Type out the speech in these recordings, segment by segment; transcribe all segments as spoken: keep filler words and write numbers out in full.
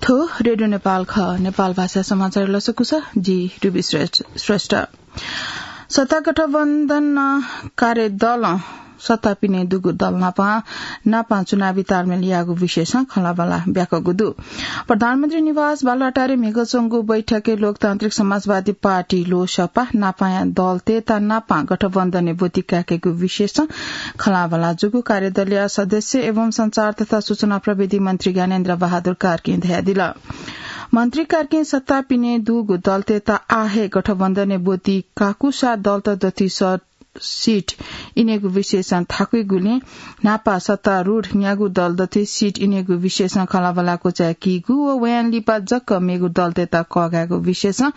थ्व रेडियो नेपाल खः। नेपाल भाषा समाचार लसकुस, जि रुबी श्रेष्ठ, श्रेष्ठ। सत्ता गठबन्धन कार्य दलं सत्ता पिने दुगु दल नापं, नापं चुनावी तालमेल याःगु विषयसं खँल्हाबल्हा ब्याकःगु दु। प्रधानमन्त्री निवास बालुवाटारे म्हिगः च्वंगु बैठकय् लोकतान्त्रिक समाजवादी पार्टी, लोसपा, नापाया दलतय्त नापं गठबन्धनय् ब्वति काय्केगु विषयसं खँल्हाबल्हा जूगु कार्यदलया सदस्य एवं सञ्चार तथा सूचना प्रविधि मन्त्री ज्ञानेन्द्र बहादुर कार्कीं धयादिल। मन्त्री कार्कीं सत्ता पिने दुगु दलतय्त आः हे गठबन्धनय् ब्वति काकूसा दलत दथुइ स-, सीट इनेगु विषयसं थाकुइगुलिं न्हापा सत्तारूढ न्यागू दल दथुइ सीट इनेगु विषयसं खँल्हाबल्हा क्वचाय्कीगु व वयां लिपा जक मेगु दलतय्त कःघायेगु विषयसं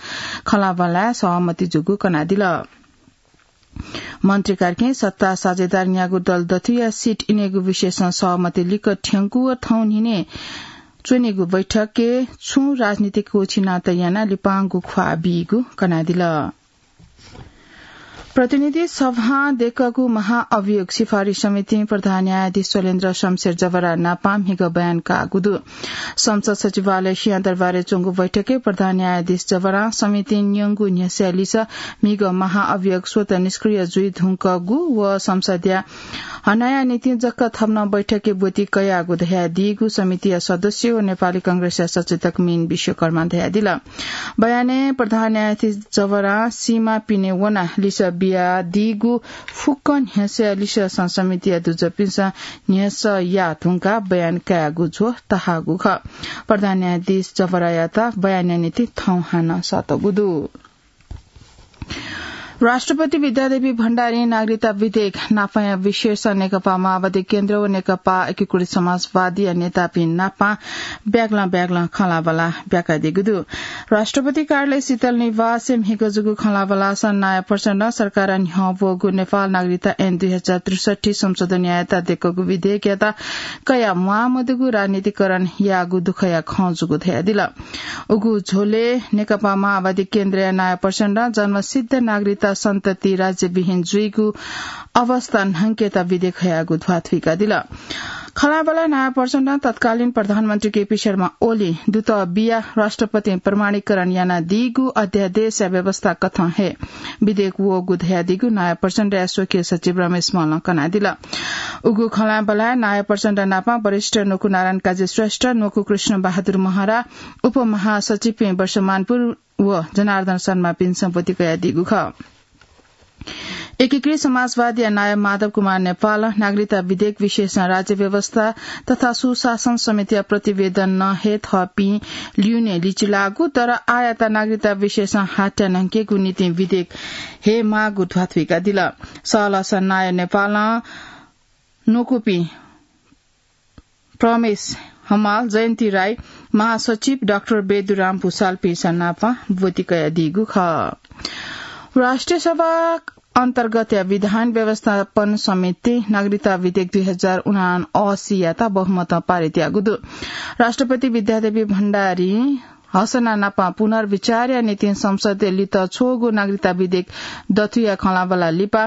खँल्हाबल्हाय् सहमति जूगु कनादिल। मन्त्री कार्कीं सत्ता साझेदार न्यागू दल दथुया सीट इनेगु विषयसं सहमति लिक्क थ्यंकू व थौं न्हिनय् च्वनीगु बैठकय् छुं राजनीतिक क्वःछिनात यानाः लिपांगु ख्वाः बीगु कनादिल। प्रतिनिधि सभां दय्कःगु महाअभियोग सिफारिस समितिं प्रधान न्यायाधीश शैलेन्द्र शमशेर जवरा नापं म्हिगः बयान काःगु दु। संसद सचिवालय सिंहदरबारय् च्वंगु बैठकय् प्रधान न्यायाधीश जवरां समितिं न्यंगु न्ह्यसःया लिसः म्हिगः महाअभियोग स्वतः निष्क्रिय जुइ धुंकूगु व संसदया हनाया निंतिं जक थप नं बैठकय् ब्वति कयागु धयादीगु समितिया सदस्य व नेपाली कांग्रेसया सचेतक मीन विश्वकर्मां धयादिल। बयानय् प्रधान न्यायाधीश जवरां सीमा पिने वनाः लिसः बियादीगु फुक्क न्ह्यसःया लिसःसं समितिया दुजःपिन्सं न्ह्यसः याः धुंकाः बयान कायेगु झ्वः ताहाःगु खः। प्रधान न्यायाधीश जवरायात बयानया निंतिं थौं हानं सःतःगु दु। राष्ट्रपति विद्यादेवी भण्डारीं नागरिकता विधेयक नापाया विषयसं नेकपा माओवादी केन्द्र व नेकपा एकीकृत समाजवादीया नेतापिं नापं ब्यागलं ब्यागलं खँल्हाबल्हा ब्याकादीगु दु। राष्ट्रपति कार्यालय शीतल निवासय् म्हिगः जूगु खँल्हाबल्हासं नायः प्रचण्डं सरकारं न्ह्यः ब्वःगु नेपाल नागरिकता ऐन दुई हजार त्रिसठी संशोधन यायेत दय्कःगु विधेयकयात कयाः म्वाःमदुगु राजनीतिकरण याःगु दुःखया खँ जूगु धयादिल। उगु झ्वलय् नेकपा माओवादी केन्द्रया नायः प्रचण्डं जन्मसिद्ध नागरिकता सन्तति राज्यविहीन जुइगु अवस्था न्हंकेत विधेयक हयागु ध्वाथुइकादिल। खँल्हाबल्हाय् नायः प्रचण्डं तत्कालीन प्रधानमन्त्री केपी शर्मा ओलीं दुतः बियाः राष्ट्रपतिं प्रमाणीकरण यानादीगु अध्यादेशया व्यवस्था कथं हे विधेयक वःगु धयादीगु नायः प्रचण्डया स्वकीय सचिव रमेश मल्लं कनादिल। उगु खँल्हाबल्हाय् नायः प्रचण्ड नापं वरिष्ठ न्वकू नारायण काजी श्रेष्ठ, न्वकू कृष्ण बहादुर महरा, उपमहासचिवपिं वर्षमानपुर व जनार्दन शर्मापिन्सं ब्वति कयादीगु खः। एकीकृत समाजवादीया नायः माधव कुमार नेपालं नागरिकता विधेयक विषयसं राज्य व्यवस्था तथा सुशासन समितिया प्रतिवेदन नं हे थःपिं ल्यूने लिचिलाःगु, तर आःयात नागरिकता विषयसं हात्या न्हंकेगु निंतिं विधेयक हे माःगु ध्वाथुइकादिल। सहलहसं नायः नेपालं न्वकूपिं प्रमेश हमाल, जयन्ती राई, महासचिव डाक्टर बेदुराम भुसालपिन्सं नापं ब्वति कयादीगु खः। राष्ट्रिय सभा अन्तर्गतया विधान व्यवस्थापन समितिं नागरिकता विधेयक दुई हजार उनासीयात बहुमतं पारित याःगु दु। राष्ट्रपति विद्यादेवी भण्डारीं हसना नापं पुनर्विचारया निंतिं संसदय् लित छ्वःगु नागरिकता विधेयक दथुया खँल्हाबल्हा लिपा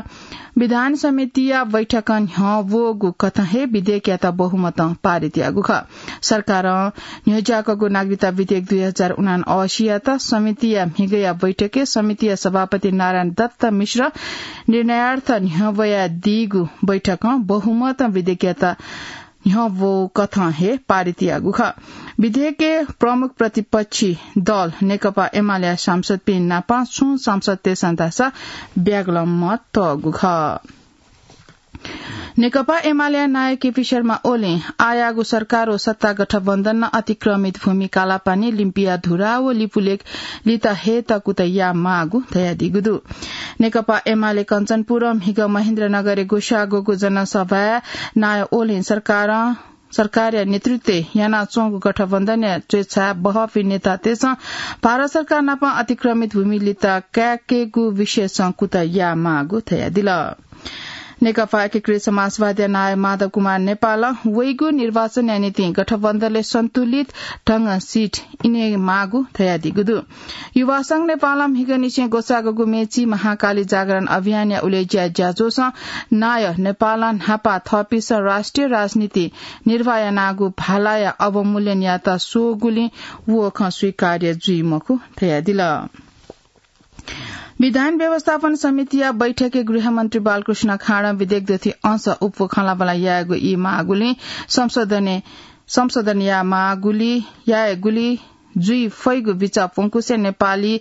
विधान समितिया बैठकं न्ह्यः ब्वःगु कथं हे विधेयकयात बहुमतं पारित याःगु खः। सरकारं न्ह्यज्याकःगु नागरिकता विधेयक दुई हजार उनासीयात समितिया म्हिगःया बैठकय् समितिया सभापति नारायण दत्त मिश्र निर्णयार्थ न्ह्यब्वयादीगु बैठकं बहुमतं विधेयकयात न्ह्यब्वःगु कथं हे पारित याःगु खः। विधेयकय् प्रमुख प्रतिपक्षी दल नेकपा एमालेया सांसदपिं नापं छुं सांसदतय्सं धाःसा ब्यागलं मत तःगु खः। नेकपा एमालेया नायः केपी शर्मा ओलीं आःयाःगु सरकार व सत्ता गठबन्धनं अतिक्रमित भूमि कालापानी, लिम्पिया धुरा व लिपुलेख लित हयेत कुतः यायेमाःगु धयादीगु दु। नेकपा एमाले कञ्चनपुरं म्हिगः महेन्द्रनगरय् ग्वसाःगु जनसभाय् नायः ओलीं सरकारं, सरकारया नेतृत्वय् यानाच्वंगु गठबन्धनया स्वेच्छाय् बहःपिं नेतातय्सं भारत सरकार नाप अतिक्रमित भूमि लित काय्केगु विषयसं कुतः यायेमाःगु धयादिल। नेकपा एकीकृत समाजवादीया नायः माधव कुमार नेपालं वइगु निर्वाचनया निंतिं गठबन्धनले सन्तुलित ढंगं सीट इनेमाःगु धयादीगु दु। युवा संघ नेपालं म्हिगःनिसें ग्वसाःगु मेची महाकाली जागरण अभियानया उलेज्या ज्याझ्वलय् नायः नेपालं न्हापा थःपिन्सं राष्ट्रिय राजनीति निर्वाह यानागु भालाया अवमूल्यनयात स्वःगुलिं व खँ स्वीकार्य जुइ मखु धयादिल। विधान व्यवस्थापन समितिया बैठकय् गृहमन्त्री बालकृष्ण खाँडं विधेयक दथुइ अंश उप खँल्हाबल्हा यायेगु ई माःगुलिं संशोधन, संशोधन याये माःगुलिं यायेगुलिं जुइ फइगु बिचाः प्वंकुसे नेपाली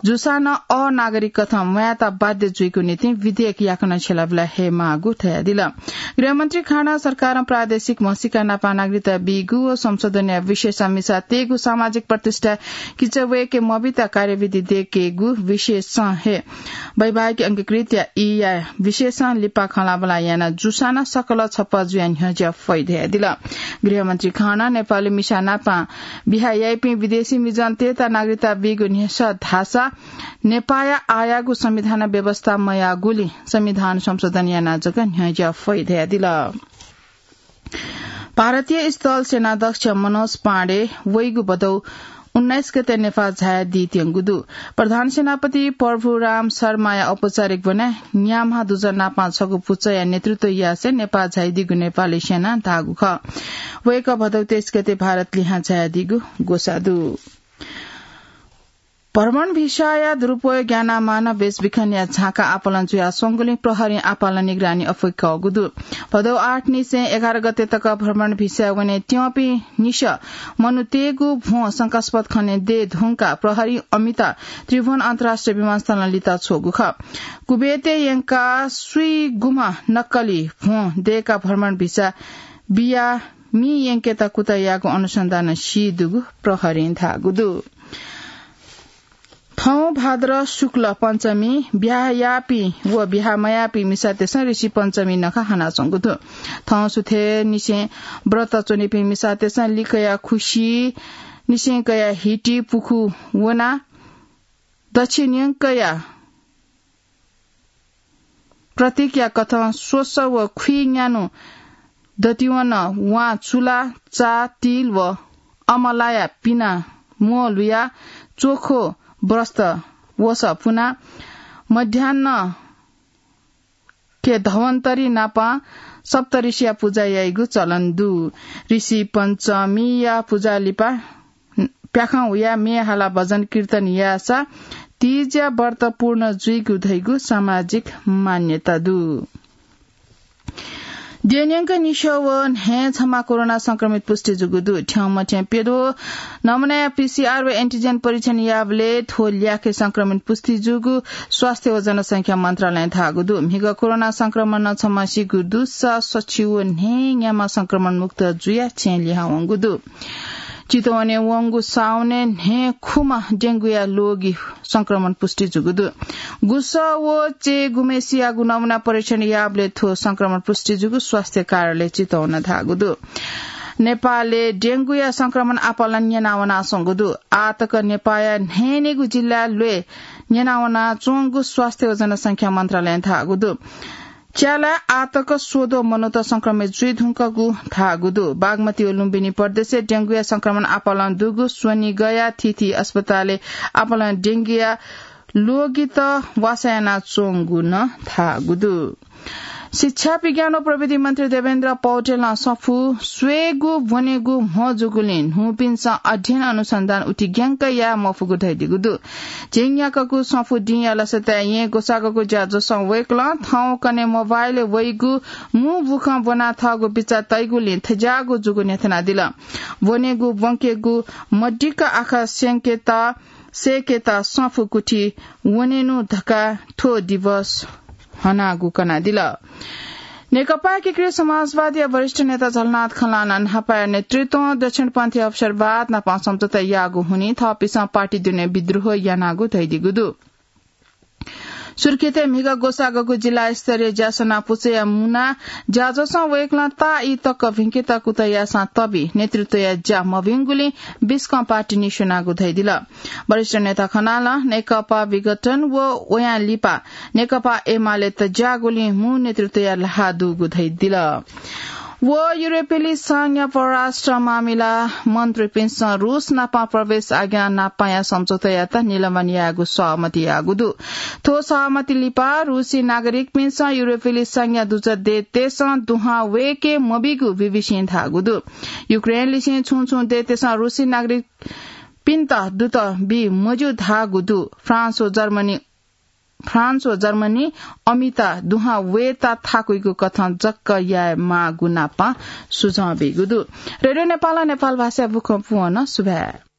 जूसां नं अनागरिक कथं म्वायेत बाध्य जुइगु निंतिं विधेयक याकनं छ्यलाबल्हा हये माःगु धयादिल। गृहमन्त्री खाँडं सरकारं प्रादेशिक म्हसीका नापं नागरिकता बीगु व संशोधनया विषयसं मिसा तयेगु सामाजिक प्रतिष्ठा किचवय्के मबित कार्यविधि दयेकेगु विषयसं हे वैवाहिक अंगीकृतया ईया विषयसं लिपा खँल्हाबल्हा याना जूसां नं सकल छप्पँ जुयाः न्ह्यज्या फइ धयादिल। गृहमन्त्री खाँडं नेपाली मिसा नापं बिहा याइपिं विदेशी मिजंतय्त नागरिकता बीगु न्ह्यसः धाःसा नेपाःया आःयागु संविधान व्यवस्था मयाःगुलिं संविधान संशोधन यानाः जक न्ह्यज्या फइ धयादिल। भारतीय स्थल सेनाध्यक्ष मनोज पाण्डे वइगु भदौ उन्नाइस गते नेपाः झायादीत्यंगु दु। प्रधान सेनापति प्रभुराम शर्माया औपचारिक ब्वनाय् न्याम्हा दुजः नापं छगू पुचःया नेतृत्व यासें नेपाः झायादीगु नेपाली सेनां धाःगु खः। वय्कः भदौ तेइस गते भारत लिहां झायादीगु ग्वसाः दु। भ्रमण भिसाया दुरुपयोग यानाः मानव बेचबिखनया झाँक्री आपालं जुयाः स्वंगुलिं प्रहरीं आपालं निगरानी अप्वय्कःगु दु। भदौ आठ निसें एघार गते तक भ्रमण भिसाय् वने त्यंपिं निसः मनूतय्गु भ्वं शंकास्पद खनेदये धुंकाः प्रहरीं अमित त्रिभुवन अन्तर्राष्ट्रिय विमानस्थलं लिता छ्वःगु खः। कुवेतय् यंकाः स्वीगुम्ह नक्कली भ्वं दय्काः भ्रमण भिसा बियाः मि यंकेत कुतः याःगु अनुसन्धानं सी दुगु प्रहरीं धाःगु दु। थौं भाद्र शुक्ल पञ्चमी ब्याहा याःपिं व ब्याहा मयाःपिं मिसातय्सं ऋषि पञ्चमी नखः हनाच्वंगु दु। थौं सुथय्निसें व्रत च्वनीपिं मिसातय्सं लिकया खुसि निसें कयाः हिति पुखू वनाः दच्छिन्यंकया प्रतीकया कथं स्वसः व खुइन्यान्हु दतिवन वां चुला, चा, तिल व अमलाया पिना म्वः लुयाः च्वखो वस्त्र वसः पुनाः मध्याह्न के धवन्तरी नापं सप्तऋषिया पुजा याइगु चलन दु। ऋषि पञ्चमीया पुजा लिपा प्याखं हुयाः म्ये हालाः भजन कीर्तन याःसा तीज्या व्रत पूर्ण जुइगु धइगु सामाजिक मान्यता दु। द्यःन्यंक निस्यः व न्हय् छम्ह कोरोना संक्रमित पुष्टि जूगु दु। थ्यंमथ्यं प्यद्वः नमुनाया पीसीआर व एन्टिजेन परीक्षण याःबलय् थ्व ल्याखय् संक्रमित पुष्टि जूगु स्वास्थ्य व जनसंख्या मन्त्रालयं धाःगु दु। म्हिगः कोरोना संक्रमणं छम्ह सीगु दुसा सछि व न्हय् न्याम्ह संक्रमण मुक्त जुयाः छेँय् लिहां वंगु दु। चितवनय् वंगु साउनय् न्हय् खुम्ह डेंगुया ल्वगि संक्रमण पुष्टि जूगु दु। गुसः व चय् गुम्हसियागु नमुना परीक्षण याःबलय् थ्व संक्रमण पुष्टि जूगु स्वास्थ्य कार्यालय चितवनं धाःगु दु। नेपालय् डेंगुया संक्रमण आपालं न्यनावनाच्वंगु दु। आःतक नेपाःया न्हय्‌न्हय्‌गू जिल्लाय् ल्वय् न्यनावनाच्वंगु स्वास्थ्य व जनसंख्या मन्त्रालयं धाःगु दु। च्यालाय् आःतक स्वद्वः मनूत संक्रमित जुइधुंकूगु धाःगु दु। बागमती व लुम्बिनी प्रदेशय् डेंगुया संक्रमण आपालं दुगु स्वनिगःया थीथी अस्पतालय् आपालं डेंगुया ल्वगित वासः यानाच्वंगु नं धाःगु दु। शिक्षा, विज्ञान व प्रविधि मन्त्री देवेन्द्र पौडेलं सफू स्वयेगु ब्वनेगु म्हो जूगुलिं न्हूपिन्सं अध्ययन अनुसन्धान उतिग्यंक याये मफुगु धयादीगु दु। झिंन्याक्वःगु सफू दिंया लसताय् येँ ग्वसाःगु ज्याझ्वलय् वय्कलं थौंकन्हय् मोबाइलय् वइगु मू बुखँ ब्वना थःगु बिचाः तइगुलिं थज्याःगु जूगु न्ह्यथनादिल। ब्वनेगु ब्वंकेगु मदिक्क आखः स्यंकेत सय्‌केत सफू कुथि वनेनु धकाः थ्व दिवस हनागु कनादिल। नेकपा एकीकृत समाजवादीया वरिष्ठ नेता झलनाथ खलनाथं न्हापाया नेतृत्वं दक्षिणपन्थी अवसरवाद नाप सम्झौता याःगु हुनिं थःपिन्सं पार्टी दुने विद्रोह यानागु धयादीगु दु। सुर्खेतय् म्हिगः ग्वसाःगु जिल्ला स्तरीय ज्यासना पुचःया मुना ज्याझ्वलं वय्कलं ताःई तक भिंकेत कुतः याःसां तबी नेतृत्वया ज्या मभिंगुलिं बिस्कं पार्टी निस्वनागु धयादिल। वरिष्ठ नेता खनालं नेकपा विघटन व वयां लिपा नेकपा एमालेत ज्याःगुलिं मू नेतृत्वया ल्हाः दुगु धयादिल। व युरोपेली संघया परराष्ट्र मामिला मन्त्रीपिन्सं रूस नाप प्रवेश आज्ञा नापया सम्झौतायात निलम्बन यायेगु सहमति याःगु दु। थ्व सहमति लिपा रूसी नागरिकपिन्सं युरोपेली संघया दुजः देशतय्सं दुहां वय्के मबीगु बीबीसीं धाःगु दु। युक्रेनलिसें छुं छुं देशतय्सं रूसी नागरिकपिन्त दूत बी मज्यू धाःगु दु। फ्रान्स व जर्मनी फ्रान्स व जर्मनी अमित दुहां वयेत थाकुइगु कथं जक्क यायेमाःगु नाप सुझाव बीगु दु। रेडियो नेपालं नेपाल भाषाया बुखँ पूवंनं सुभाय्।